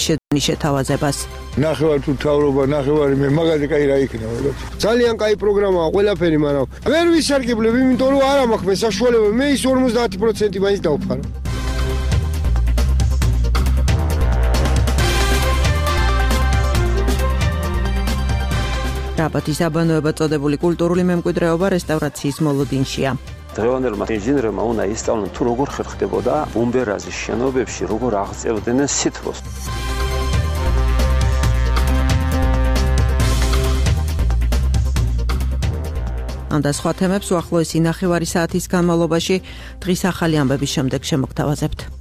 შეძენის შეთავაზებას. ნახევარ თუ თავრობა, ნახევარი მე მაგაზე კაი რა იქნება. ძალიან კაი პროგრამაა ყველაფერი, მაგრამ ვერ ვისარგებლებ, იმიტომ რომ არ მაქვს მე საშუალება, მე ის 50% მაინც დავფარო. რაბათის აბანოება წოდებული კულტურული მემკვიდრეობა რესტავრაციის მოლოდინშია. დღევანდელმა ინჟინერებმა უნდა ისწავლონ თუ როგორ ხერხდებოდა ბუმბერაზის შენობებში, როგორ აღწევდნენ სითბოს. ამ და სხვა თემებს უახლოესი ნახევარი საათის განმავლობაში დღის ახალი ამბების შემდეგ შემოგთავაზებთ.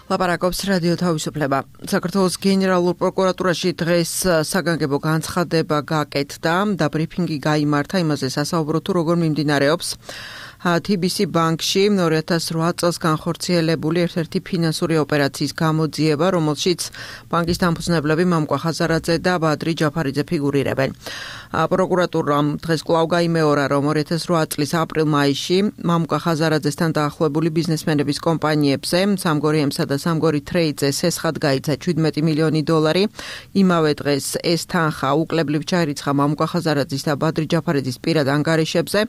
ლაპარაკობს რადიო თავისუფლება. საქართველოს გენერალურ პროკურატურაში დღეს საგანგებო განცხადება გაკეთდა და ბრიფინგი გაიმართა იმაზე სასაუბრო თუ როგორ მიმდინარეობს TBC ბანკში 2008 წელს განხორციელებული ერთ-ერთი ფინანსური ოპერაციის გამოძიება, რომელშიც ბანკის დამფუძნებლები მამუკა ხაზარაძე და ბადრი ჯაფარიძე ფიგურირებენ. პროკურატურამ დღეს კვლავ გაიმეორა, რომ 2008 წლის აპრილ-მაისში მამუკა ხაზარაძესთან დაახლოებული ბიზნესმენების კომპანიებზე სამგორიემსა და სამგორი ტრეიდზე სესხად გაიცა $17 მილიონი. იმავე დღეს ეს თანხა უკლებლივ ჩაირიცხა მამუკა ხაზარაძის და ბადრი ჯაფარიძის პირად ანგარიშებზე,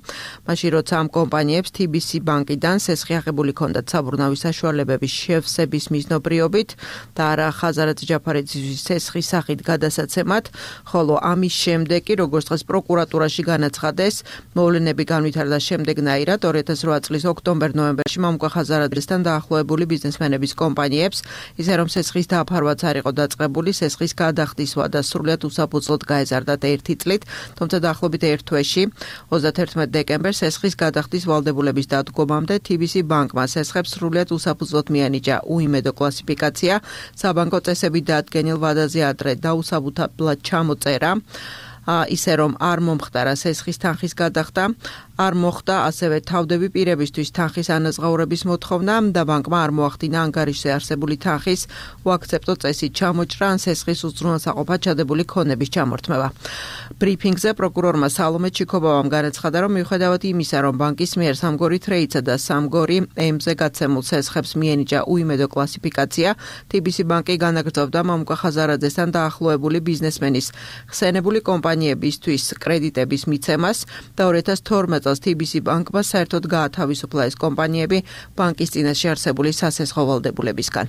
მაშინ როცა ამ კომპანიებს TBC ბანკიდან სესხი აღებული ჰქონდათ საბურნავის საშუალებების შევსების მიზნობრიობით და არა ხაზარაძე ჯაფარიძის სესხის სახით გადასაცემად, ხოლო ამის შემდეგ კი როგორც დღეს პროკურატურაში განაცხადეს, მოვლენები განვითარდა შემდეგნაირად 2008 წლის ოქტომბერ-ნოემბერში მამუკა ხაზარაძესთან დაახლოებული ბიზნესმენების კომპანიებს, ისე რომ სესხის დაფარვაც არ იყო დაწყებული, სესხის გადახდისვა და სრულად უსაფუძვლოდ გაეზარდათ 1 წლით, თუმცა დაახლოებით 1 თვეში 31 დეკემბერს სესხის გადახდის ვალდებულების დადგომამდე TBC ბანკმა სესხებს სრულად უსაფუძვლოდ მიანიჭა უიმედო კლასიფიკაცია, საბანკო წესები დაადგენილ ვადაზე ადრე დაუსაბუთებლად ჩამოწერა, ისე რომ არ მომხდარა სესხის თანხის გადახდა, არ მოხდა ასევე თავდები პირებისთვის თანხის ანაზღაურების მოთხოვნა და ბანკმა არ მოახდინა ანგარიშზე არსებული თანხის უაქცეპტო წესით ჩამოჭრა ან სესხის უზრუნველსაყოფად ჩადებული ქონების ჩამორთმევა. ბრიფინგზე პროკურორმა სალომე ჩიქობავამ განაცხადა, რომ მიუხედავად იმისა, რომ ბანკის მიერ სამგორი ტრეიდსა და სამგორი M-ზე გაცემულ სესხებს მიენიჭა უიმედო კლასიფიკაცია, TBC ბანკი განაგრძობდა მამუკა ხაზარაძესთან დაახლოებული ბიზნესმენის ხსენებული კომპანიებისთვის კრედიტების მიცემას და 2012 წელს TBC ბანკმა საერთოდ გაათავისუფლა ეს კომპანიები ბანკის წინაშე არსებული სასესხო ვალდებულებისგან.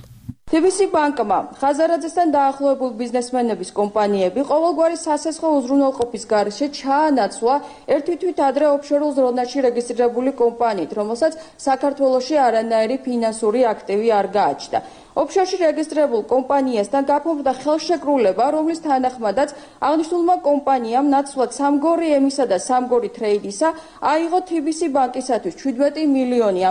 TBC ბანკმა ხაზარაძესთან დაახლოებულ ბიზნესმენების კომპანიები ყოველგვარი სასესხო უზრუნველყოფის გარეშე ჩაანაცვლა ერთი თვით ადრე ოფშორულ ზონაში რეგისტრირებული კომპანიით, რომელსაც საქართველოში არანაირი ფინანსური აქტივი არ გააჩნდა. ოფშორში რეგისტრირებულ კომპანიასთან გაფორმდა ხელშეკრულება, რომლის თანახმადაც აღნიშნულმა კომპანიამ ნაცვლად სამგორი M-ისა და სამგორი ტრეიდისა აიღო TBC ბანკისათვის $17 მილიონი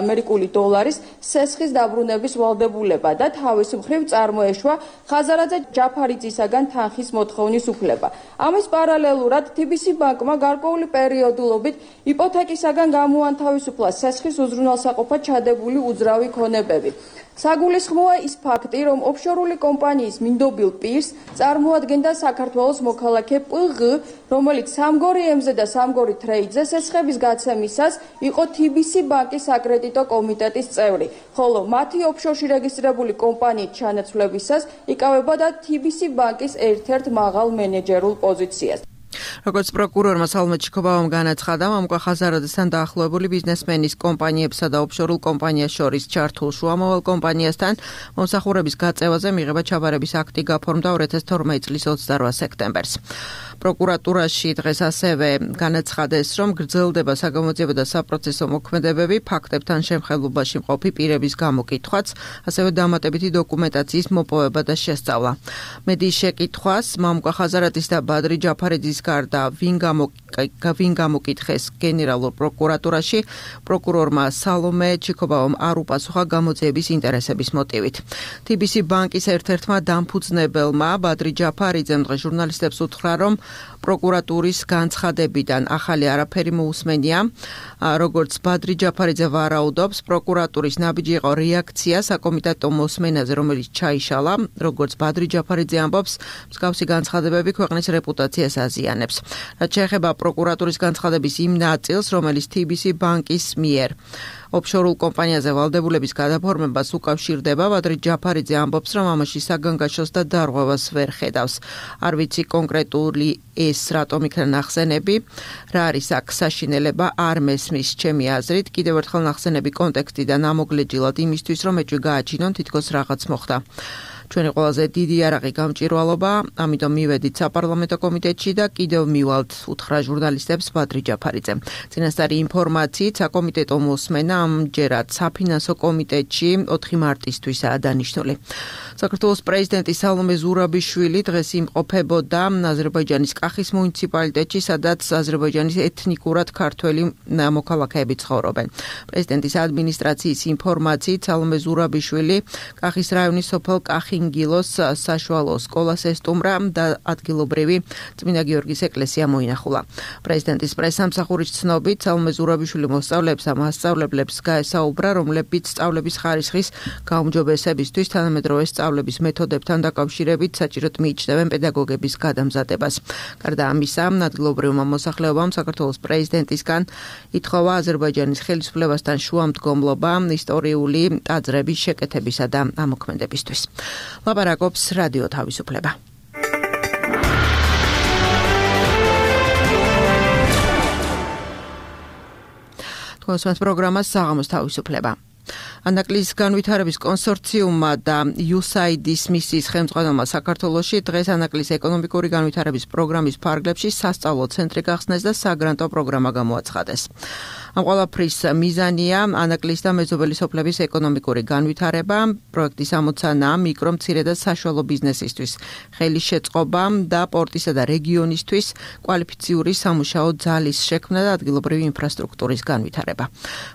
სესხის დაბრუნების ვალდებულება და თავის მხრივ წარმოეშვა ხაზარაძე ჯაფარიძისაგან თანხის მოთხოვნის უფლება. ამის პარალელურად TBC ბანკმა გარკვეული პერიოდულობით იპოთეკისაგან გამოანთავისუფლა სესხის უზრუნველსაყოფად ჩადებული უძრავი ქონებები. საგულისხმოა ის ფაქტი, რომ ოფშორული კომპანიის მინდობილ პირს წარმოადგენდა საქართველოს მოქალაქე PG, რომელიც სამგორი M-ზე და სამგორი ტრეიდზე სესხების გაცემისას იყო TBC ბანკის საკრედიტო კომიტეტის წევრი, ხოლო მათი ოფშორში რეგისტრირებული კომპანიით ჩანაცვლებისას იკავებოდა TBC ბანკის ერთ-ერთ მაღალ მენეჯერულ პოზიციას. როგორც პროკურორმა სალომე ჩიქობავამ განაცხადა, მამუკა ხაზარაძესთან დაახლოებული ბიზნესმენის კომპანიებსა და ოფშორულ კომპანიას შორის ჩართულ შუამავალ კომპანიასთან მომსახურების გაწევაზე მიღება ჩაბარების აქტი გაფორმდა 2012 წლის 28 სექტემბერს. პროკურატურაში დღეს ასევე განაცხადეს, რომ გრძელდება საგამოძიებო და საპროცესო მოქმედებები, ფაქტებთან შემხელობაში მყოფი პირების გამოკითხვაც, ასევე დამატებითი დოკუმენტაციის მოპოვება და შესწავლა. მედიის შეკითხვას მამუკა ხაზარაძის და ბადრი ჯაფარიძის გარდა ვინ გამოკითხეს გენერალურ პროკურატურაში, პროკურორმა სალომე ჩიქობავამ არ უპასუხა გამოძიების ინტერესების მოტივით. TBC ბანკის ერთ-ერთმა დამფუძნებელმა ბადრი ჯაფარიძემ დღეს ჟურნალისტებს უთხრა, რომ პროკურატურის განცხადებიდან ახალი არაფერი მოусმენია. როგორც ბადრი ჯაფარიძე ვარაუდობს, პროკურატურის ნაბიჯი იყო რეაქცია საკომიტეტო მოსმენაზე, რომელიც ჩაიშალა. როგორც ბადრი ჯაფარიძე ამბობს, მსგავსი განცხადებები ქვეყნის რეპუტაციას აზიანებს. ახორციელებს. რაც შეეხება პროკურატურის განცხადების იმ ნაწილს, რომელიც TBC ბანკის მიერ ოფშორულ კომპანიაზე ვალდებულების გადაფორმებას უკავშირდება, ვადრით ჯაფარიძე ამბობს, რომ ამაში საგანგაშოს და დარღვევას ვერ ხედავს. არ ვიცი კონკრეტული ეს რატომ იქნა ნახსენები, რა არის აქ საშინელება, არ მესმის ჩემი აზრით, კიდევ ერთხელ ნახსენები კონტექსტიდან ამოგლეჯილად იმისთვის, რომ ეჭვი გააჩინონ, თითქოს რაღაც მოხდა. ჩვენი ყველაზე დიდი იარაღი გამჭვირვალობა, ამიტომ მივედით საპარლამენტო კომიტეტში და კიდევ მივალთ, უთხრა ჟურნალისტებს ბადრი ჯაფარიძე. წინასწარი ინფორმაციით, საკომიტეტო მოსმენა ამჯერად საფინანსო კომიტეტში 4 მარტისთვისაა დანიშნული. საქართველოს პრეზიდენტი სალომე ზურაბიშვილი დღეს იმყოფებოდა აზერბაიჯანის კახის მუნიციპალიტეტში, სადაც აზერბაიჯანის ეთნიკურად ქართველი მოქალაქეები ცხოვრობენ. პრეზიდენტის ადმინისტრაციის ინფორმაციით, სალომე ზურაბიშვილი კახის რაიონის სოფელ კახინგილოს საშუალო სკოლას ესტუმრა და ადგილობრივი წმინდა გიორგის ეკლესია მოინახულა. პრეზიდენტის პრესამსახურის ცნობით, სალომე ზურაბიშვილი მოსწავლეებს და მასწავლებლებს გაესაუბრა, რომლებიც სწავლების ხარისხის გაუმჯობესებისთვის თანამედროვე სწავლების მეთოდებთან დაკავშირებით საჭიროდ მიიჩნევენ პედაგოგების გადამზადებას. გარდა ამისა, ადგილობრივმა მოსახლეობამ საქართველოს პრეზიდენტისგან ითხოვა აზერბაიჯანის ხელისუფლებასთან შუამდგომლობა ისტორიული ტაძრების შეკეთებისა და ამოქმედებისთვის. ლაპარაკობს რადიო თავისუფლება. თქვენს პროგრამას საღამოს თავისუფლება. ანაკლის განვითარების კონსორციუმმა და USAID-ის მისიის ხელმძღვანელმა საქართველოში დღეს ანაკლის ეკონომიკური განვითარების პროგრამის ფარგლებში სასწავლო ცენტრი გახსნეს და საგრანტო პროგრამა გამოაცხადეს. ამ ყველაფრის მიზანია ანაკლის და მეზობელი სოფლების ეკონომიკური განვითარება, პროექტის ამოცანაა მიკრო, მცირე და საშუალო ბიზნესისთვის ხელის შეწყობა და პორტისა და რეგიონისთვის კვალიფიციური სამუშაო ძალის შექმნა და ადგილობრივი ინფრასტრუქტურის განვითარება.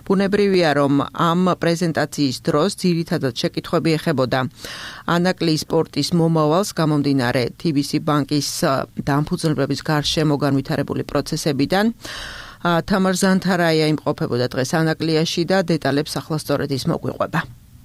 ბუნებრივია, რომ ამ პრეზენტაციის დროს ძირითადად შეკითხვები ეხებოდა ანაკლის სპორტის მომავალს გამომდინარე TBC ბანკის დამფუძნებლების გარშემო განვითარებული პროცესებიდან. თამარ ზანთარაია იმყოფებოდა დღეს ანაკლიაში და დეტალებს ახლა სწორედ ის მოგვიყვება.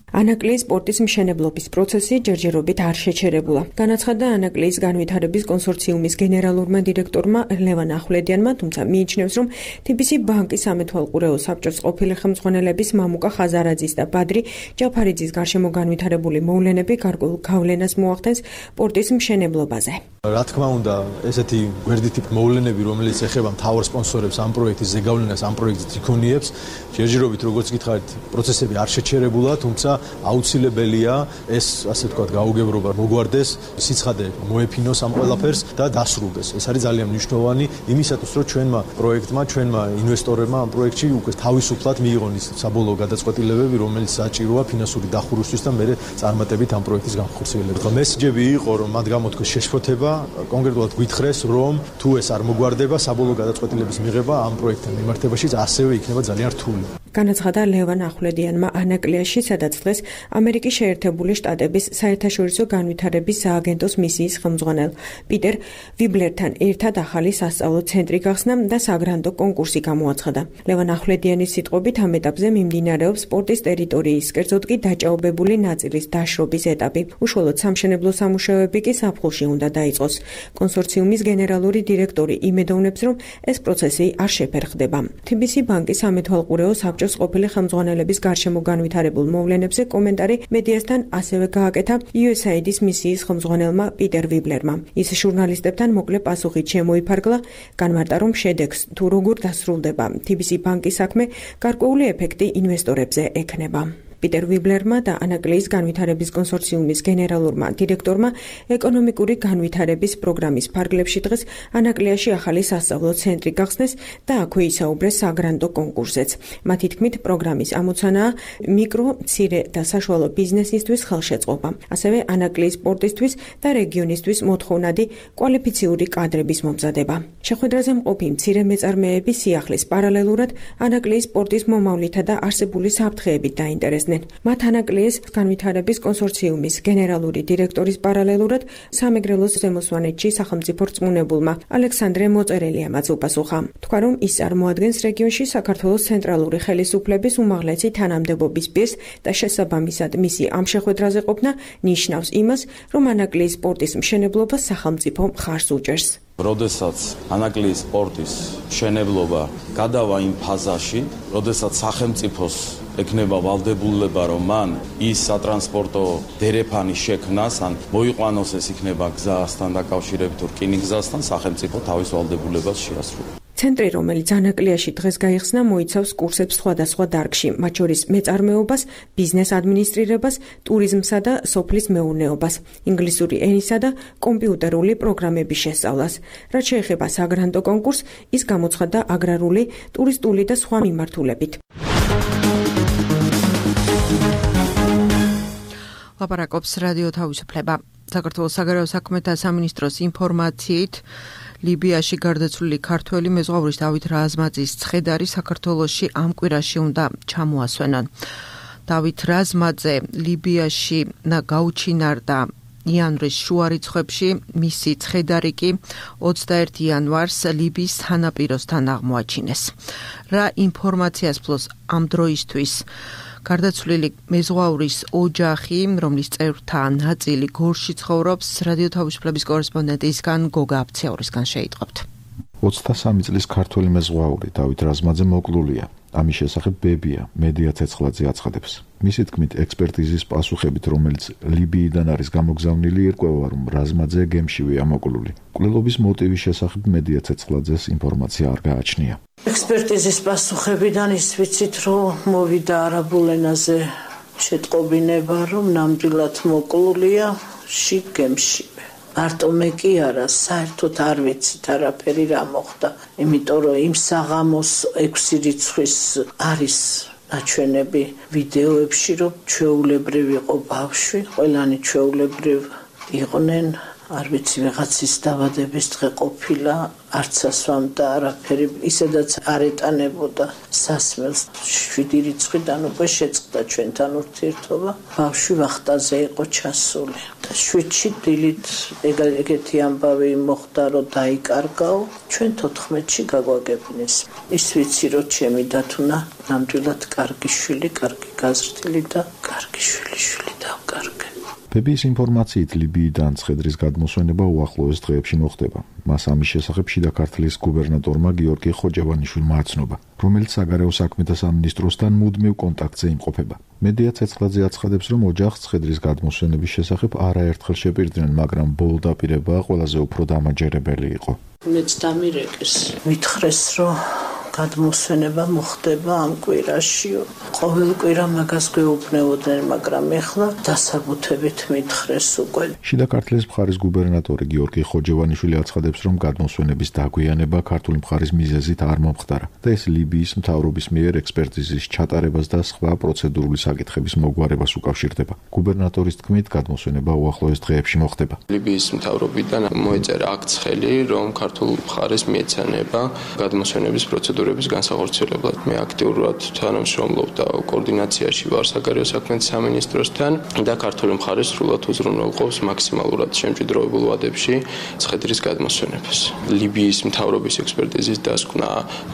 ანაკლის სპორტის მშენებლობის პროცესი ჯერჯერობით არ შეჩერებულა. განაცხადა ანაკლის განვითარების კონსორციუმის გენერალურმა დირექტორმა ლევან ახვლედიანმა, თუმცა მიიჩნევს, რომ TBC ბანკის სამეთვალყურეო საბჭოს ყოფილი ხელმძღვანელების მამუკა ხაზარაძის და ბადრი ჯაფარიძის გარშემო განვითარებული მოვლენები გარკვეულ გავლენას მოახდენს სპორტის მშენებლობაზე. რა თქმა უნდა, ესეთი გვერდითი მოვლენები, რომელიც ეხება მთავარ სპონსორებს ამ პროექტის ზეგავლენას, ამ პროექტის იქონიებს, ჯერჯერობით როგორც გითხარით, პროცესები არ შეჩერებულა, თუმცა აუცილებელია ეს, ასე ვთქვათ, გაუგებრობა მოგვარდეს, სიცხადე მოეფინოს ამ ყველაფერს და დასრულდეს. ეს არის ძალიან მნიშვნელოვანი იმისათვის, რომ ჩვენმა პროექტმა, ჩვენმა ინვესტორებმა ამ პროექტში უკვე თავისუფლად მიიღონ ის საბოლოო გადაწყვეტილებები, რომელიც საჭიროა ფინანსური დახურვისთვის და მერე წარმატებით ამ პროექტის განხორციელებას. მესიჯები იყო, რომ მათ გამოთქვეს შეშფოთება, კონკრეტულად გითხრეს, რომ თუ ეს არ მოგვარდება, საბოლოო გადაწყვეტილების მიღება ამ პროექტთან მიმართებაშიც ასევე იქნება ძალიან რთული. განაცხადა ლევან ახვლედიანმა ანაკლიაში, სადაც დღეს ამერიკის შეერთებული შტატების საერთაშორისო განვითარების სააგენტოს მისიის ხელმძღვანელ პიტერ ვიბლერთან ერთად ახალი სასწავლო ცენტრი გახსნა და საგრანტო კონკურსი გამოაცხადა. ლევან ახვლედიანის სიტყვებით ამ ეტაპზე მიმდინარეობს სპორტის ტერიტორიის, კერძოდ კი დაჭაობებული ნაწილის დაშრობის ეტაპი. უშუალოდ სამშენებლო სამუშაოები კი ზაფხულში უნდა დაიწყოს. კონსორციუმის გენერალური დირექტორი იმედოვნებს, რომ ეს პროცესი არ შეფერხდება. TBC ბანკის სამეთვალყურეო საბჭოს ყოფილი ხელმძღვანელების გარშემო განვითარებულ მოვლენებზე კომენტარი მედიასთან ასევე გააკეთა USAID-ის მისიის ხელმძღვანელმა პიტერ ვიბლერმა. ის ჟურნალისტებთან მოკლე პასუხით შემოიფარგლა, განმარტა, რომ შედეგს თუ როგორ დასრულდება TBC ბანკის საქმე, გარკვეული ეფექტი ინვესტორებზე ექნება. პიტერ ვიბლერმა და ანაკლის განვითარების კონსორციუმის გენერალურმა დირექტორმა ეკონომიკური განვითარების პროგრამის ფარგლებში დღეს ანაკლიაში ახალი სასწავლო ცენტრი გახსნეს და აქვე ისაუბრეს საგრანტო კონკურსზეც. მათი თქმით, პროგრამის ამოცანაა მიკრო, მცირე და საშუალო ბიზნესისთვის ხელშეწყობა, ასევე ანაკლის სპორტისთვის და რეგიონისთვის მოთხოვნადი კვალიფიციური კადრების მომზადება. შეხვედრაზე მყოფი მცირე მეწარმეები სიახლის პარალელურად ანაკლის სპორტის მომავლითა და არსებული საფრთხეებით დაინტერესდნენ. მათ ანაკლიის განვითარების კონსორციუმის გენერალური დირექტორის პარალელურად სამეგრელოს ზემოსვანეთში სახელმწიფო რწმუნებულმა ალექსანდრე მოწერელიამაც უპასუხა. თქვა, რომ ის წარმოადგენს რეგიონში საქართველოს ცენტრალური ხელისუფლების უმაღლესი თანამდებობის პირს და შესაბამისად მისი ამ შეხვედრაზე ყოფნა ნიშნავს იმას, რომ ანაკლიის სპორტის მშენებლობას სახელმწიფო მხარს უჭერს. როდესაც ანაკლიის პორტის მშენებლობა გადავა იმ ფაზაში, როდესაც სახელმწიფოს ეკნება ვალდებულება, რომ მან ის სატრანსპორტო დერეფანი შექმნას, ან მოიყვანოს ეს იქნება გზასთან დაკავშირებით რკინიგზასთან, სახელმწიფო თავის ვალდებულებას შეასრულებს. ცენტრი, რომელიც ანაკლიაში დღეს გაიხსნა, მოიცავს კურსებს სხვადასხვა დარგში, მათ შორის მეწარმეობას, ბიზნეს ადმინისტრირებას, ტურიზმსა და სოფლის მეურნეობას, ინგლისური ენისა და კომპიუტერული პროგრამების შესწავლას. რაც შეეხება საგრანტო კონკურსს, ის გამოცხადდა აგრარული, ტურისტული და სხვა მიმართულებით. ლაპარაკობს რადიო თავისუფლება. საქართველოს საგარეო საქმეთა სამინისტროს ინფორმაციით ლიბიაში გარდაცვლილი ქართველი მეზღვაურის დავით რაზმაძის ცხედარი საქართველოში ამ კვირაში უნდა ჩამოასვენონ. დავით რაზმაძე ლიბიაში გაუჩინარდა იანვრის შუა რიცხვებში, მისი ცხედარი კი 21 იანვარს ლიბიის სანაპიროსთან აღმოაჩინეს. რა ინფორმაციას ფლობს ამ დროისთვის გარდაცვლილი მეზღვაურის ოჯახი, რომლის წევრთა ნაწილი გორში ცხოვრობს, რადიო თავისუფლების კორესპონდენტისგან გოგა აფცეორისგან შეიტყობთ. 23 წლის ქართველი მეზღვაური დავით რაზმაძე მოკლულია. ამის შესახებ ბებია მედია ცეცხლაძე აცხადებს. მისი თქმით, ექსპერტიზის პასუხებით, რომელიც ლიბიიდან არის გამოგზავნილი, ირკვევა, რომ რაზმაძე გემშივეა მოკლული. მკვლელობის მოტივის შესახებ მედია ცეცხლაძეს ინფორმაცია არ გააჩნია. ექსპერტიზის პასუხებიდან ის ვიცით, რომ მოვიდა არაბულ ენაზე შეტყობინება, რომ ნამდვილად მოკლულია შიგ გემშივე. მარტო მე კი არა, საერთოდ არ ვიცით არაფერი რა მოხდა, იმიტომ რომ იმ საღამოს 6 რიცხვის არის ნაჩვენები ვიდეოებში, რომ ჩვეულებრივ იყო ბავშვი, ყველანი ჩვეულებრივ იყვნენ, არ ვიცი, ვიღაცის დაბადების დღე ყოფილა, არც ასვამდა არაფერი, ისედაც არ ეტანებოდა სასმელს. 7 რიცხვიდან უკვე შეწყდა ჩვენთან ურთიერთობა, ბავშვი ვახტაზე იყო ჩასული. 7-ში დილით ეგეთი ამბავი მოხდა, რომ დაიკარგაო, ჩვენ 14-ში გაგვაგებინეს. ის ვიცი, რომ ჩემი დათუნა ნამდვილად კარგი შვილი, კარგი გაზრდილი და კარგი შვილი დავკარგე. ბებიის ინფორმაციით ლიბიიდან ცხედრის გადმოსვენება უახლოეს დღეებში მოხდება. მას ამის შესახებ შიდა ქართლის გუბერნატორმა გიორგი ხოჯევანიშვილმა აცნობა, რომელიც საგარეო საქმეთა სამინისტროსთან მუდმივ კონტაქტზე იმყოფება. მედია ცეცხლაძე აცხადებს, რომ ოჯახს ცხედრის გადმოსვენების შესახებ არაერთხელ შეპირდნენ, მაგრამ ბოლო დაპირება ყველაზე უფრო დამაჯერებელი იყო. მეც დამირეკეს, მითხრეს, რომ გადმოსვენება მოხდება ამ კვირაში. ყოველ კვირა მაგას გვეუბნებოდნენ, მაგრამ ეხლა დასაბუთებით მითხრეს უკვე. შიდა ქართლის მხარის გუბერნატორი გიორგი ხოჯევანიშვილი აცხადებს, რომ გადმოსვენების დაგვიანება ქართული მხარის მიზეზით არ მომხდარა და ეს ლიბიის მთავრობის მიერ ექსპერტიზის ჩატარებას და სხვა პროცედურული საკითხების მოგვარებას უკავშირდება. გუბერნატორის თქმით, გადმოსვენება უახლოეს დღეებში მოხდება. ლიბიის მთავრობიდან მოეწერა აქ ცხელი, რომ ქართულ მხარეს მიეცანება გადმოსვენების პროცედურების განსახორციელებლად. მე აქტიურად თანამშრომლობ და კოორდინაციაში ვარ საგარეო საქმეთა სამინისტროსთან და ქართული მხარე სრულად უზრუნველყოფს მაქსიმალურად შემჭიდროებულ ვადებში ცხედრის გადმოსვენებას. ლიბიის მთავრობის ექსპერტიზის დასკვნა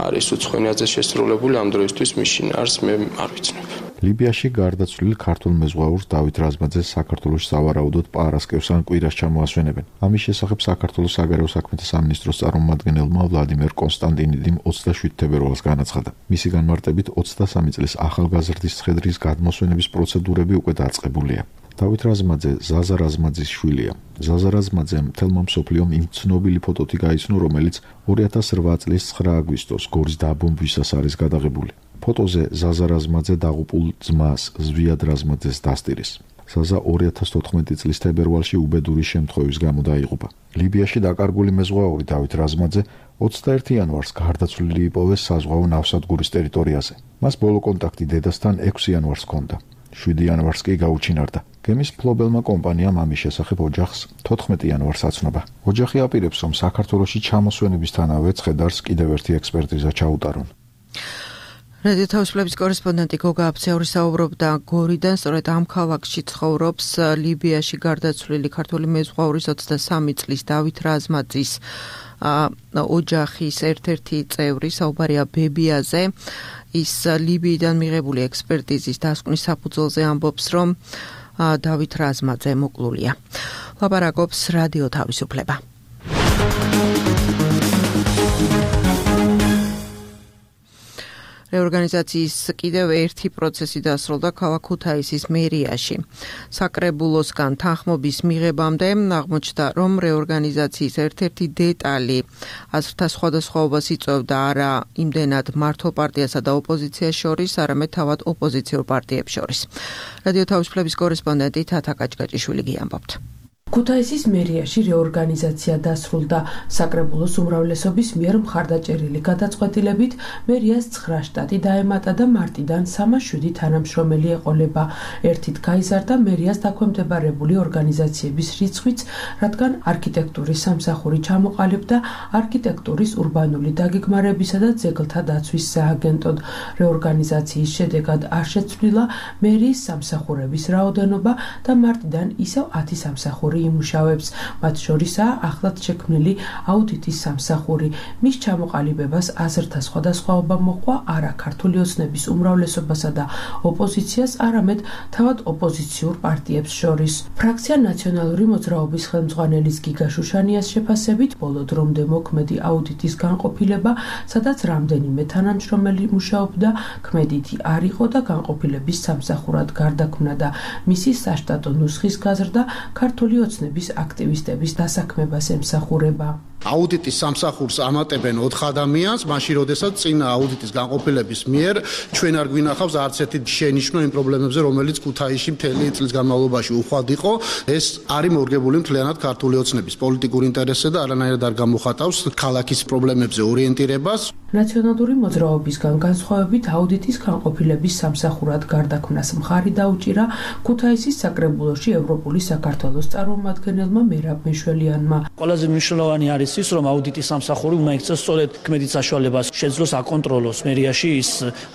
არის უცხოენაზე შესრულებული, ამ დროისთვის მის შინაარსს მე არ ვიცნობ. ლიბიაში გარდაცვლილი ქართულ მეზღვაურს დავით რაზმაძეს საქართველოში სავარაუდოდ პარასკევს ან კვირას ჩამოასვენებენ. ამის შესახებ საქართველოს საგარეო საქმეთა სამინისტროს წარმომადგენელმა ვლადიმერ კონსტანტინიდიმ 27 თებერვალს განაცხადა. მისი განმარტებით 23 წლის ახალგაზრდის ცხედრის გადმოსვენების პროცედურები უკვე დაწყებულია. დავით რაზმაძე ზაზა რაზმაძის შვილია. ზაზა რაზმაძე მთელმა მსოფლიომ იმ ცნობილი ფოტოთი გაიცნო, რომელიც 2008 წლის 9 აგვისტოს გორის დაბომბვისას არის გადაღებული. ფოტოზე ზაზა რაზმაძე დაღუპულ ძმას ზვიად რაზმაძეს დასტირის. ზაზა 2014 წლის თებერვალში უბედური შემთხვევის გამო დაიღუპა. ლიბიაში დაკარგული მეზღვაური დავით რაზმაძე 21 იანვარს გარდაცვლილი იპოვეს საზღვაო ნავსადგურის ტერიტორიაზე. მას ბოლო კონტაქტი დედასთან 6 იანვარს ჰქონდა. 7 იანვარს კი გაუჩინარდა. გემის ფლობელმა კომპანიამ ამის შესახებ ოჯახს 14 იანვარს აცნობა. ოჯახი აპირებს, რომ საქართველოში ჩამოსვენებისთანავე ცხედარს კიდევ ერთი ექსპერტიზა ჩაუტარონ. რადიო თავისუფლების კორესპონდენტი გოგა აფცეორი საუბრობდა გორიდან, სწორედ ამ ქალაქში ცხოვრობს ლიბიაში გარდაცვლილი ქართული მეზღვაურის 23 წლის დავით რაზმაძის ოჯახის ერთ-ერთი წევრი, საუბარია ბებიაზე. ის ლიბიიდან მიღებული ექსპერტიზის დასკვნის საფუძველზე ამბობს, რომ დავით რაზმაძე მოკლულია. ლაპარაკობს რადიო თავისუფლება. რეორგანიზაციის კიდევ ერთი პროცესი დასრულდა ქალაქ ქუთაისის მერიაში. საკრებულოსგან თანხმობის მიღებამდე აღმოჩნდა, რომ რეორგანიზაციის ერთ-ერთი დეტალი აზრთა სხვადასხვაობას იწვევდა არა იმდენად მართლ პარტიასა და ოპოზიციას შორის, არამედ თავად ოპოზიციურ პარტიებს შორის. რადიო თავისუფლების კორესპონდენტი თათა კაჭკაჭიშვილი გიამბობთ. ქუთაისის მერიაში რეორგანიზაცია დასრულდა. საკრებულოს უმრავლესობის მიერ მხარდაჭერილი გადაწყვეტილებით მერიას 9 შტატი დაემატა და მარტიდან 307 თანამშრომელი ეყოლება. ერთით გაიზარდა მერიას დაქვემდებარებული ორგანიზაციების რიცხვიც, რადგან არქიტექტურის სამსახური ჩამოყალიბდა არქიტექტურის ურბანული დაგეგმარებისა და ძეგლთა დაცვის სააგენტოდ. რეორგანიზაციის შედეგად არ შეცვლილა მერიის სამსახურების რაოდენობა და მარტიდან ისევ 10 სამსახური იმუშავებს, მათ შორისაა ახლად შექმნილი აუდიტის სამსახური. მის ჩამოყალიბებას აზრთა სხვადასხვაობა მოჰყვა არა ქართული ოცნების უმრავლესობასა და ოპოზიციას, არამედ თავად ოპოზიციურ პარტიებს შორის. ფრაქცია ნაციონალური მოძრაობის ხელმძღვანელის გიგა შუშანიას შეფასებით, ბოლო დრომდე მოქმედი აუდიტის განყოფილება, სადაც რამდენიმე თანამშრომელი მუშაობდა, ქმედითი არ იყო და განყოფილების სამსახურად გარდაქმნა და მისი საშტატო ნუსხის გაზრდა ქართული ოცნების აქტივისტების დასაქმებას ემსახურება. აუდიტის სამსახურს ამატებენ 4 ადამიანს, მაშინ როდესაც წინა აუდიტის განყოფილების მიერ ჩვენ არ გვინახავს არც ერთი შენიშვნა იმ პრობლემებზე, რომელიც ქუთაისში მთელი წლის განმავლობაში უხვად იყო. ეს არის მორგებული მთლიანად ქართული ოცნების პოლიტიკურ ინტერესზე და არანაირად არ გამოხატავს ქალაქის პრობლემებზე ორიენტირებას. ნაციონალური მოძრაობისგან განსხვავებით აუდიტის განყოფილების სამსახურად გარდაქმნას მხარი დაუჭირა ქუთაისის საკრებულოში ევროპული საქართველოს წარმომადგენელმა მერაბ მეშველიანმა. ყველაზე მნიშვნელოვანი არის ის, რომ აუდიტის სამსახური უნდა იქცეს სწორედ ქმედით საშუალებას შეძლოს აკონტროლოს მერიაში ის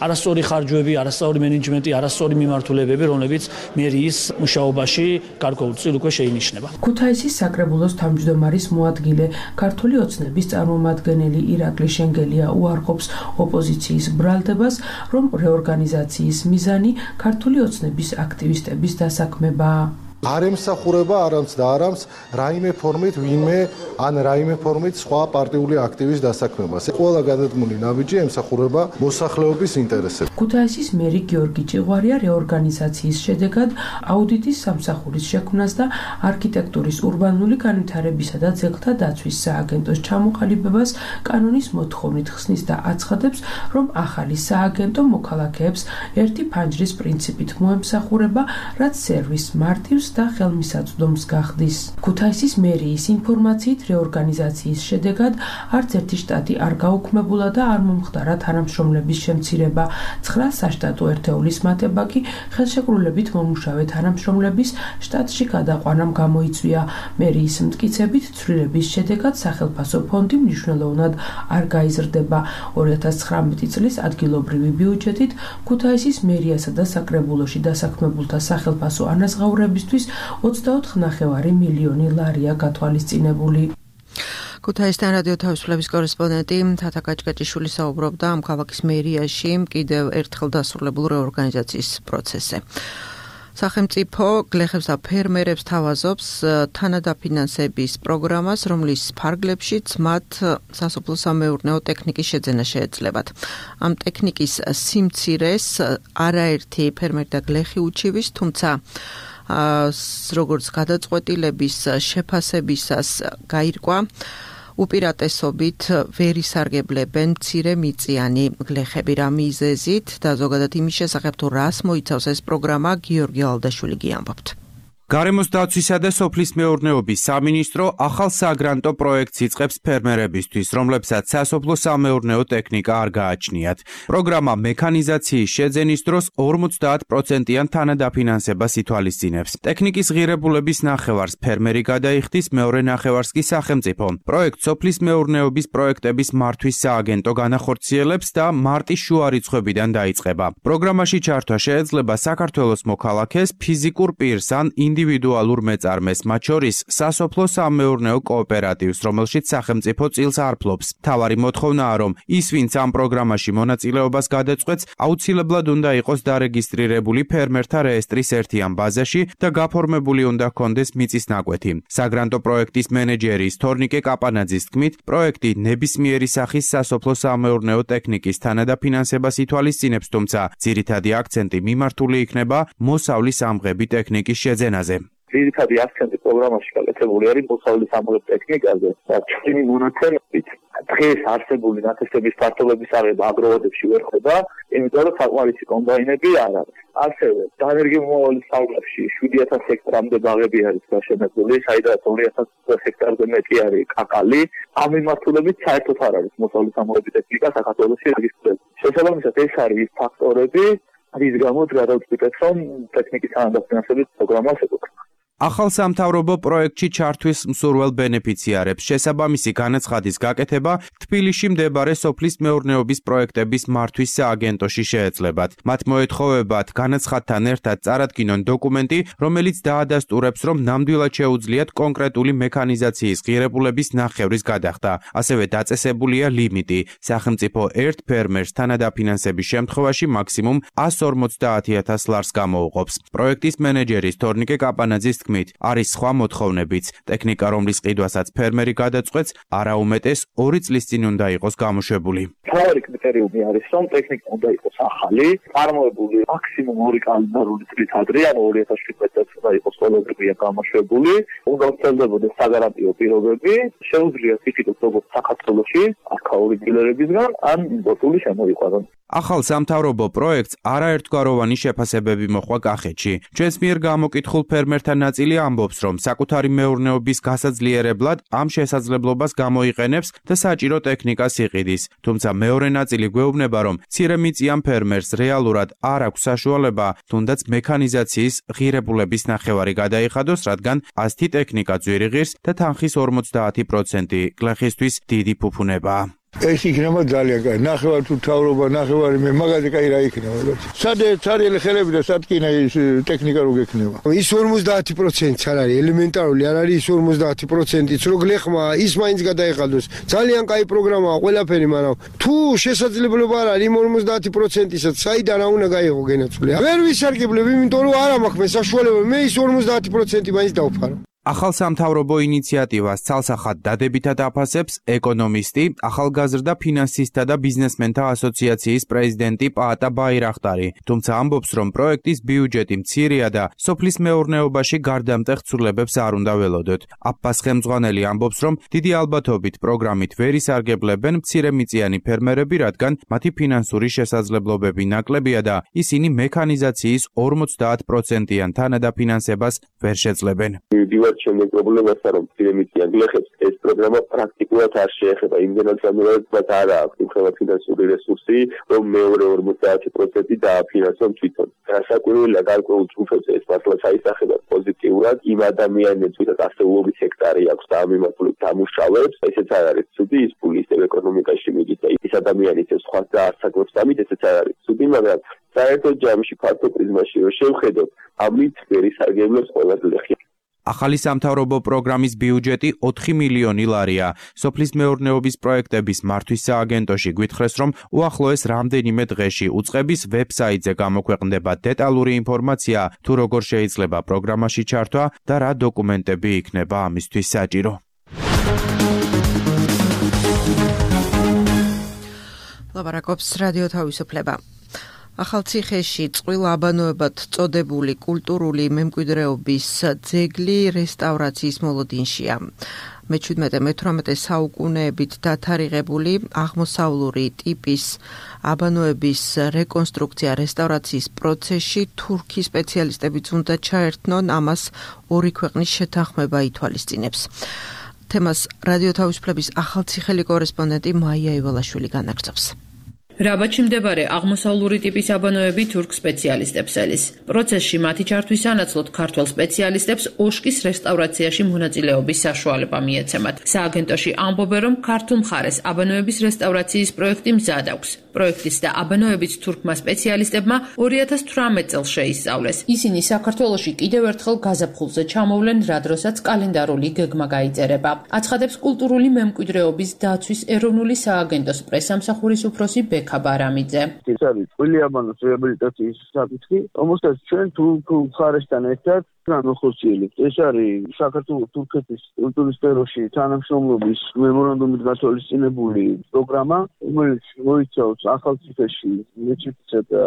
არასწორი ხარჯვები, არასწორი მენეჯმენტი, არასწორი მიმართულებები, რომლებიც მერიის მუშაობაში გარკვეულწილ უკვე შეინიშნება. ქუთაისის საკრებულოს თავმჯდომარის მოადგილე ქართული ოცნების წარმომადგენელი ირაკლი შენგელია უარყოფს ოპოზიციის ბრალდებას, რომ რეორგანიზაციის მიზანი ქართული ოცნების აქტივისტების დასაქმებაა. არ ემსახურება არამც და არამც რაიმე ფორმით ვინმე ან რაიმე ფორმით სხვა პარტიული აქტივის დასაქმებას. ყველა გადადგმული ნაბიჯი ემსახურება მოსახლეობის ინტერესებს. ქუთაისის მერი გიორგი ჭიღვარია რეორგანიზაციის შედეგად აუდიტის სამსახურის შექმნას და არქიტექტურის ურბანული განვითარებისა და ძეგლთა დაცვის სააგენტოს ჩამოყალიბებას კანონის მოთხოვნით ხსნის და აცხადებს, რომ ახალი სააგენტო მოქალაქეებს ერთი ფანჯრის პრინციპით მოემსახურება, რაც სერვისს მარტივს და ხელმისაწვდომს გახდის. ქუთაისის მერიის ინფორმაციით რეორგანიზაციის შედეგად არც ერთი შტატი არ გაუქმებულა და არ მომხდარა თანამშრომლების შემცირება. 9 საშტატო ერთეულის მატება კი ხელშეკრულებით მომუშავე თანამშრომლების შტატში გადაყვანამ გამოიწვია. მერიის მტკიცებით ცვლილების შედეგად სახელმწიფო ფონდი მნიშვნელოვნად არ გაიზრდება. 2019 წლის ადგილობრივი ბიუჯეტით ქუთაისის მერიასა და საკრებულოში დასაქმებულთა სახელმწიფო ანაზღაურებისთვის 24,5 მილიონი ლარია გათვალისწინებული. ქუთაისთან რადიო თავისუფლების კორესპონდენტი თათა კაჭკაჭიშვილი საუბრობდა ამ ქალაქის მერიაში კიდევ ერთხელ დასრულებულ რეორგანიზაციის პროცესზე. სახელმწიფო გლეხებს და ფერმერებს თავაზობს თანადაფინანსების პროგრამას, რომლის ფარგლებშიც მათ სასოფლო-სამეურნეო ტექნიკის შეძენა შეეძლებათ. ამ ტექნიკის სიმცირეს არაერთი ფერმერი და გლეხი უჩივის, თუმცა როგორც გადაწყვეტილების შეფასებისას გაირკვა, უპირატესობით ვერ ისარგებლებენ მცირე მიწიანი გლეხები. რა მიზეზით და ზოგადად იმის შესახებ თუ რას მოიცავს ეს პროგრამა, გიორგი ალდაშვილი გიამბობთ. გარემოს დაცვისა და სოფლის მეურნეობის სამინისტრო ახალ საგრანტო პროექტს იწყებს ფერმერებისთვის, რომლებსაც სასოფლო-სამეურნეო ტექნიკა არ გააჩნიათ. პროგრამა მექანიზაციის შეძენის დროს 50%-იან თანადაფინანსებას ითვალისწინებს. ტექნიკის ღირებულების ნახევარს ფერმერი გადაიხდის, მეორე ნახევარს კი სახელმწიფო. პროექტს სოფლის მეურნეობის პროექტების მართვის სააგენტო განახორციელებს და მარტის შუა რიცხვებიდან დაიწყება. პროგრამაში ჩართვა შეეძლება საქართველოს მოქალაქეს, ფიზიკურ პირს ან ინდივიდუალურ მეწარმეს, მათ შორის სასოფლო-სამეურნეო კოოპერატივს, რომელშიც სახელმწიფო წილს არ ფლობს. მთავარი მოთხოვნაა, რომ ის, ვინც ამ პროგრამაში მონაწილეობას გადაწყვეტს, აუცილებლად უნდა იყოს დარეგისტრირებული ფერმერთა რეესტრის ერთიან ბაზაში და გაფორმებული უნდა ჰქონდეს მიწის ნაკვეთი. საგრანტო პროექტის მენეჯერის თორნიკე კაპანაძის თქმით, პროექტი ნებისმიერი სახის სასოფლო-სამეურნეო ტექნიკის თანადაფინანსებას ითვალისწინებს, თუმცა ძირითადი აქცენტი მიმართული იქნება მოსავლის ამღები ტექნიკის შეძენაზე. ძირითადი აქცენტი პროგრამაში გაკეთებული არის მოსავლის ამღებ ტექნიკაზე და ჩვენი მონაცემებით დღეს არსებული ნათესების ფართობების აღება აგროვოდებში ვერ ხდება, იმიტომ რომ საკმარისი კომბაინები არ არის. ასევე დაენერგიომომავლის სახლებში 7000 ჰექტარამდე ბაღები არის გაშენებული, საიდანაც 2000 ჰექტარზე მეტი არის კაკალი. ამ მიმართულებით საერთოდ არ არის მოსავლის ამღები ტექნიკა საქართველოში რეგისტრირებული. შესაბამისად, ეს არის ის ფაქტორები, რის გამოც გადავწყვიტეთ, რომ ტექნიკის თანადაფინანსების პროგრამას ეკუთვნა. ახალ სამთავრობო პროექტში ჩართვის მსურველ ბენეფიციარებს შესაბამისი განაცხადის გაკეთება თბილისში მდებარე სოფლის მეურნეობის პროექტების მართვის სააგენტოში შეეძლებათ. მათ მოეთხოვებათ განაცხადთან ერთად წარადგინონ დოკუმენტი, რომელიც დაადასტურებს, რომ ნამდვილად შეუძლიათ კონკრეტული მექანიზაციის ღირებულების ნახევრის გადახდა. ასევე დაწესებულია ლიმიტი. სახელმწიფო ერთ ფერმერს თანადაფინანსების შემთხვევაში მაქსიმუმ 150.000 ლარს გამოუყოფს. პროექტის მენეჯერის თორნიკე კაპანაძის არის სხვა მოთხოვნებიც. ტექნიკა, რომლის ყიდვასაც ფერმერი გადაწყვეტს, არაუმეტეს 2 წლის წინ უნდა იყოს გამოშვებული. მთავარი კრიტერიუმი არის, რომ ტექნიკა უნდა იყოს ახალი, წარმოებული მაქსიმუმ 2 კალენდარული წლით ადრე, ანუ 2017 წელს უნდა იყოს ყოველდღია გამოშვებული, უნდა ვრცელდებოდეს საგარანტიო პირობები, შეუძლიათ იფიქროთ როგორც საქართველოში, აქაური დილერებისგან, ან იმპორტული შემოიყვანონ. ახალ სამთავრობო პროექტს არაერთგვაროვანი შეფასებები მოჰყვა კახეთში. ჩვენს მიერ გამოკითხულ ფერმერთა ნაწილი ამბობს, რომ საკუთარი მეურნეობის გასაძლიერებლად ამ შესაძლებლობას გამოიყენებს და საჭირო ტექნიკას იყიდის. თუმცა მეორე ნაწილი გვეუბნება, რომ მცირემიწიან ფერმერს რეალურად არ აქვს საშუალება თუნდაც მექანიზაციის ღირებულების ნახევარი გადაიხადოს, რადგან ასეთი ტექნიკა ძვირი ღირს და თანხის 50% გლეხისთვის დიდი ფუფუნებაა. ეს იქნება ძალიან კაი. ნახევარ თუ თავრობა, ნახევარი მე მაგაზე კაი რა იქნება. სად ცარიელი ხელები და სად კინა ის ტექნიკა რო გექნება. ის 50% არ არის ელემენტარული, არ არის ის 50%-იც რო გლეხმა ის მაინც გადაეხადოს. ძალიან კაი პროგრამაა ყველაფერი, მაგრამ თუ შესაძლებლობა არ არის იმ 50%-ისაც საიდან რა უნდა გაიღო გენაცვლე. ვერ ვისარგებლებ, იმიტომ რომ არ მაქვს მე საშუალება, მე ის 50% მაინც დავფარო. ახალ სამთავრობო ინიციატივას ცალსახად დადებითად აფასებს ეკონომისტი, ახალგაზრდა ფინანსისტთა და ბიზნესმენთა ასოციაციის პრეზიდენტი პაატა ბაირახტარი, თუმცა ამბობს, რომ პროექტის ბიუჯეტი მცირეა და სოფლის მეურნეობაში გარდამტეხ ცვლილებებს არ უნდა ველოდოთ. აბბას ხელმძღვანელი ამბობს, რომ დიდი ალბათობით პროგრამით ვერ ისარგებლებენ მცირემიწიანი ფერმერები, რადგან მათი ფინანსური შესაძლებლობები ნაკლებია და ისინი მექანიზაციის 50%-იან თანადაფინანსებას ვერ შეძლებენ. შემდეგ პრობლემასთან რომ მცირემიწიან გლეხებს ეს პროგრამა პრაქტიკულად არ შეეხება, იმდენად განმეორებად არ აქვს იმხელა ფინანსური რესურსი, რომ მეორე 50% დააფინანსონ თვითონ. გასაკვირველია გარკვეულ ჯგუფებს ეს მართლა საისახება პოზიტიურად, იმ ადამიანებს, ვისაც ასეულობით ჰექტარი აქვს და ამ მიმართულებით ამუშავებს, ესეც არ არის ცუდი, ის ფული ისევ ეკონომიკაში მიდის და ის ადამიანი ისევ სხვას დაასაკვებს ამით, ესეც არ არის ცუდი, მაგრამ საერთოდ ჯამში ფართო პრიზმაში რომ შევხედოთ, ამით ვერ ისარგებლებს ყველა გლეხი. ახალი სამთავრობო პროგრამის ბიუჯეტი 4 მილიონი ლარია. სოფლის მეურნეობის პროექტების მართვის სააგენტოში გვითხრეს, რომ უახლოეს რამდენიმე დღეში უწყების ვებსაიტზე გამოქვეყნდება დეტალური ინფორმაცია, თუ როგორ შეიძლება პროგრამაში ჩართვა და რა დოკუმენტები იქნება ამისთვის საჭირო. ლაპარაკობს რადიო თავისუფლება. ახალციხეში წყვილ აბანოებად წოდებული კულტურული მემკვიდრეობის ძეგლი რესტავრაციის მოლოდინშია. მე-17-18 საუკუნეებით დათარიღებული აღმოსავლური ტიპის აბანოების რეკონსტრუქცია რესტავრაციის პროცესში თურქი სპეციალისტებიც უნდა ჩაერთნონ, ამას ორი ქვეყნის შეთანხმება ითვალისწინებს. თემას რადიო თავისუფლების ახალციხელი კორესპონდენტი მაია ივალაშვილი განაგრძობს. რაბათში მდებარე აღმოსავლური ტიპის აბანოები თურქ სპეციალისტებს ელის. პროცესში მათი ჩართვის სანაცვლოდ ქართველ სპეციალისტებს ოშკის რესტავრაციაში მონაწილეობის საშუალება მიეცემათ. სააგენტოში ამბობენ, რომ ქართულ მხარეს აბანოების რესტავრაციის პროექტი მზად აქვს. პროექტის და აბანოების თურქმა სპეციალისტებმა 2018 წელს შეისწავლეს. ისინი საქართველოში კიდევ ერთხელ გაზაფხულზე ჩამოვლენ, რა დროსაც კალენდარული გეგმა გაიწერება. აცხადებს კულტურული მემკვიდრეობის დაცვის ეროვნული სააგენტოს პრესამსახურის უფროსი ბექა ბარამიძე. ეს არის ყვილიაბანოს რეაბილიტაციის საკითხი, რომელსაც ჩვენ თურქ მხარესთან ერთად განვახორციელებთ. ეს არის საქართველოს-თურქეთის კულტურის სფეროში თანამშრომლობის მემორანდუმით გათვალისწინებული პროგრამა, რომელიც მოიცავს ახალციხეში მეჩეთისა და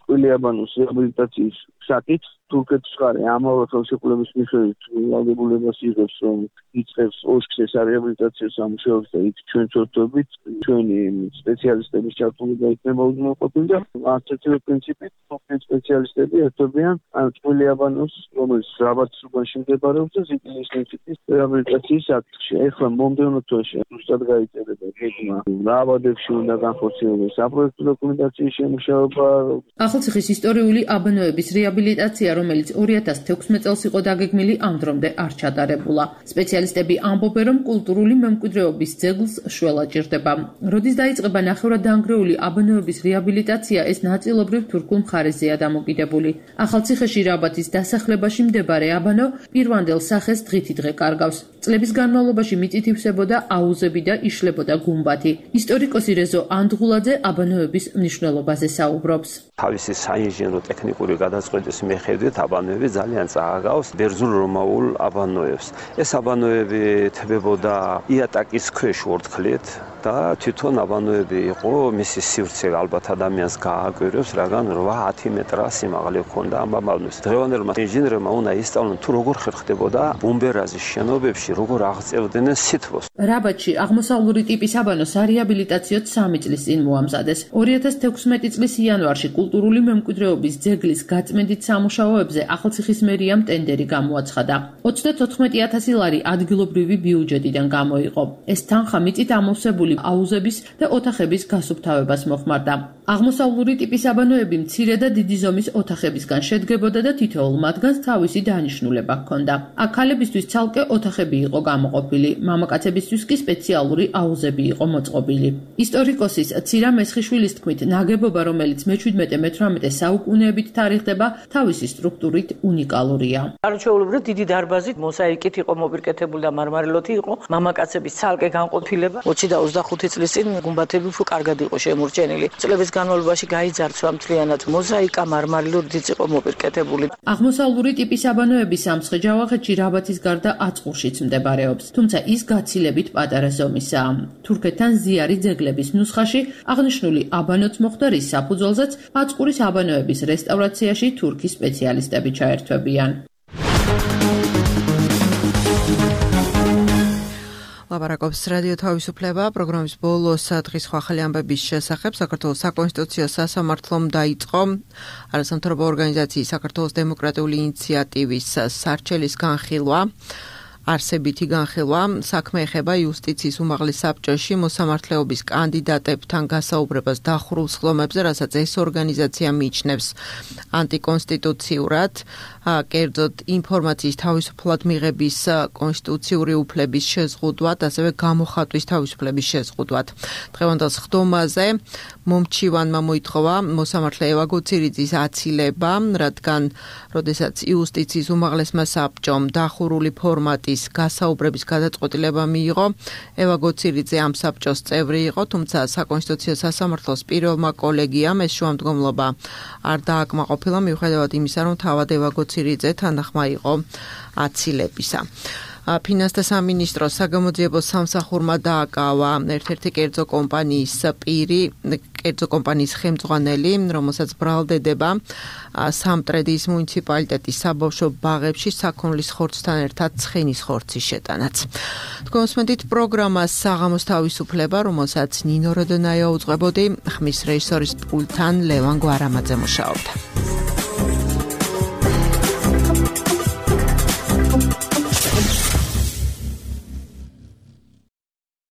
ყვილიაბანოს რეაბილიტაციის საკითხს. თურქეთის მხარე ამავე ხელშეკრულების მიხედვით ვალდებულებას იღებს, რომ იწყებს ოშქს ეს რეაბილიტაციის სამუშაოებს და იქ ჩვენ ვწოდებით ჩვენი სპეციალისტების ჩართულობა იქნება უზრუნველყოფილი და ასეთივე პრინციპით თურქეთის სპეციალისტები ერთობიან ყვილიაბანოს, რომელიც რაბათის უბანში მდებარეობს და ზიტილის ინსტიტუტის რეაბილიტაციის საკითხში. ეხლა მომდევნო თვეში ზუსტად გაიწერება გეგმა, რა აბადებში უნდა განხორციელდეს საპროექტო დოკუმენტაციის შემუშავება. ახალციხის ისტორიული აბანოების რეაბილიტაცია, რომელიც 2016 წელს იყო დაგეგმილი, ამ დრომდე არ ჩატარებულა. სპეციალისტები ამბობენ, რომ კულტურული მემკვიდრეობის ძეგლს შველა ჭირდება. როდის დაიწყება ნახევრადდანგრეული აბანოების რეაბილიტაცია, ეს ნაწილობრივ თურქულ მხარეზეა დამოკიდებული. ახალციხეში რაბათის დასახლებაში მდებარე აბანო პირვანდელ სახეს დღითიდღე კარგავს. წლების განმავლობაში მიწით ივსებოდა აუზები და იშლებოდა გუმბათი. ისტორიკოსი რეზო ანდღულაძე აბანოების მნიშვნელობაზე საუბრობს. თავისი საინჟინრო ტექნიკური გადაწყვეტის მიხედვით აბანოები ძალიან წააგავს ბერძნულ რომაულ აბანოებს. ეს აბანოები თებებოდა იატაკის ქვეშ ორთქლით და თვითონ აბანოები იყო მისი სივრცე ალბათ ადამიანს გააკვირვებს, რადგან 8-10 მეტრა სიმაღლე ჰქონდა ამ აბანოებს. დღევანდელმა ინჟინერებმა უნდა ისწავლონ თუ როგორ ხერხდებოდა ბუმბერაზის შენობებში, როგორ აღწევდნენ სითბოს. რაბათში აღმოსავლური ტიპის აბანო სარეაბილიტაციოდ 3 წლის წინ მოამზადეს. 2016 წლის იანვარში კულტურული მემკვიდრეობის ძეგლის გაწმენდით სამუშაოებზე ახალციხის მერიამ ტენდერი გამოაცხადა. 34,000 ლარი ადგილობრივი ბიუჯეტიდან გამოიყო. ეს თანხა მიწით ამოვსებული აუზების და ოთახების გასუფთავებას მოხმარდა. აღმოსავლური ტიპის აბანოები მცირე და დიდი ზომის ოთახებისგან შედგებოდა და თითოეულ მათგანს თავისი დანიშნულება ჰქონდა. აქ ქალებისთვის ცალკე ოთახები იყო გამოყოფილი, მამაკაცებისთვის კი სპეციალური აუზები იყო მოწყობილი. ისტორიკოსის ცირა მესხიშვილის თქმით, ნაგებობა, რომელიც მე-17-18 საუკუნეებით თარიღდება, თავისი სტრუქტურით უნიკალურია. არაჩვეულებრივ დიდი დარბაზით მოსაიკით იყო მოპირკეთებული და მარმარილოთი იყო, მამაკაცების ცალკე განყოფილება 20 და 25 წლის წინ გუმბათები უფრო კარგად იყო შემორჩენილი. წლების განმავლობაში გაიძარცვა მთლიანად მოზაიკა, მარმარილოთიც იყო მოპირკეთებული. აღმოსავლური ტიპის აბანოები სამცხე-ჯავახეთში რაბათის გარდა აწყურშიც მდებარეობს, თუმცა ის გაცილებით პატარა ზომისაა. თურქეთთან ზიარი ძეგლების ნუსხაში აღნიშნული აბანოც მოხდა, რის საფუძველზეც აწყურის აბანოების რესტავრაციაში თურქის სპეციალისტები ჩაერთვებიან. ლაპარაკობს რადიო თავისუფლება პროგრამის ბოლოს დღის ახალი ამბების შესახებ. საქართველოს საკონსტიტუციო სასამართლომ დაიწყო არასამთავრობო ორგანიზაციის საქართველოს დემოკრატიული ინიციატივის სარჩელის განხილვა. არსებითი განხილვა საქმე ეხება იუსტიციის უმაღლეს საბჭოში მოსამართლეობის კანდიდატებთან გასაუბრებას დახურულ სხდომებზე, რასაც ეს ორგანიზაცია მიიჩნევს ანტიკონსტიტუციურად, კერძოდ ინფორმაციის თავისუფლად მიღების კონსტიტუციური უფლების შეზღუდვად, ასევე გამოხატვის თავისუფლების შეზღუდვად. დღევანდელ სხდომაზე მომჩივანმა მოითხოვა მოსამართლე ევა გოცირიძის აცილება, რადგან როდესაც იუსტიციის უმაღლესმა საბჭომ დახურული ფორმატის გასაუბრების გადაწყვეტილება მიიღო, ევა გოცირიძე ამ საბჭოს წევრი იყო, თუმცა საკონსტიტუციო სასამართლოს პირველმა კოლეგიამ ეს შუამდგომლობა არ დააკმაყოფილა, მიუხედავად იმისა, რომ თავად ევა გოცირიძე თანახმა იყო აცილებისა. ფინანსთა სამინისტროს საგამოძიებო სამსახურმა დააკავა ერთ-ერთი კერძო კომპანიის პირი, კერძო კომპანიის ხელმძღვანელი, რომელსაც ბრალდედება სამტრედიის მუნიციპალიტეტის საბავშვო ბაღებში საქონლის ხორცთან ერთად ცხენის ხორცის შეტანაც. თქვენსმენთ პროგრამას საღამოს თავისუფლება, რომელსაც ნინო როდონაია უძღვებოდი, ხმის რეჟისორის პულტთან ლევან გვარამაძე მუშაობდა.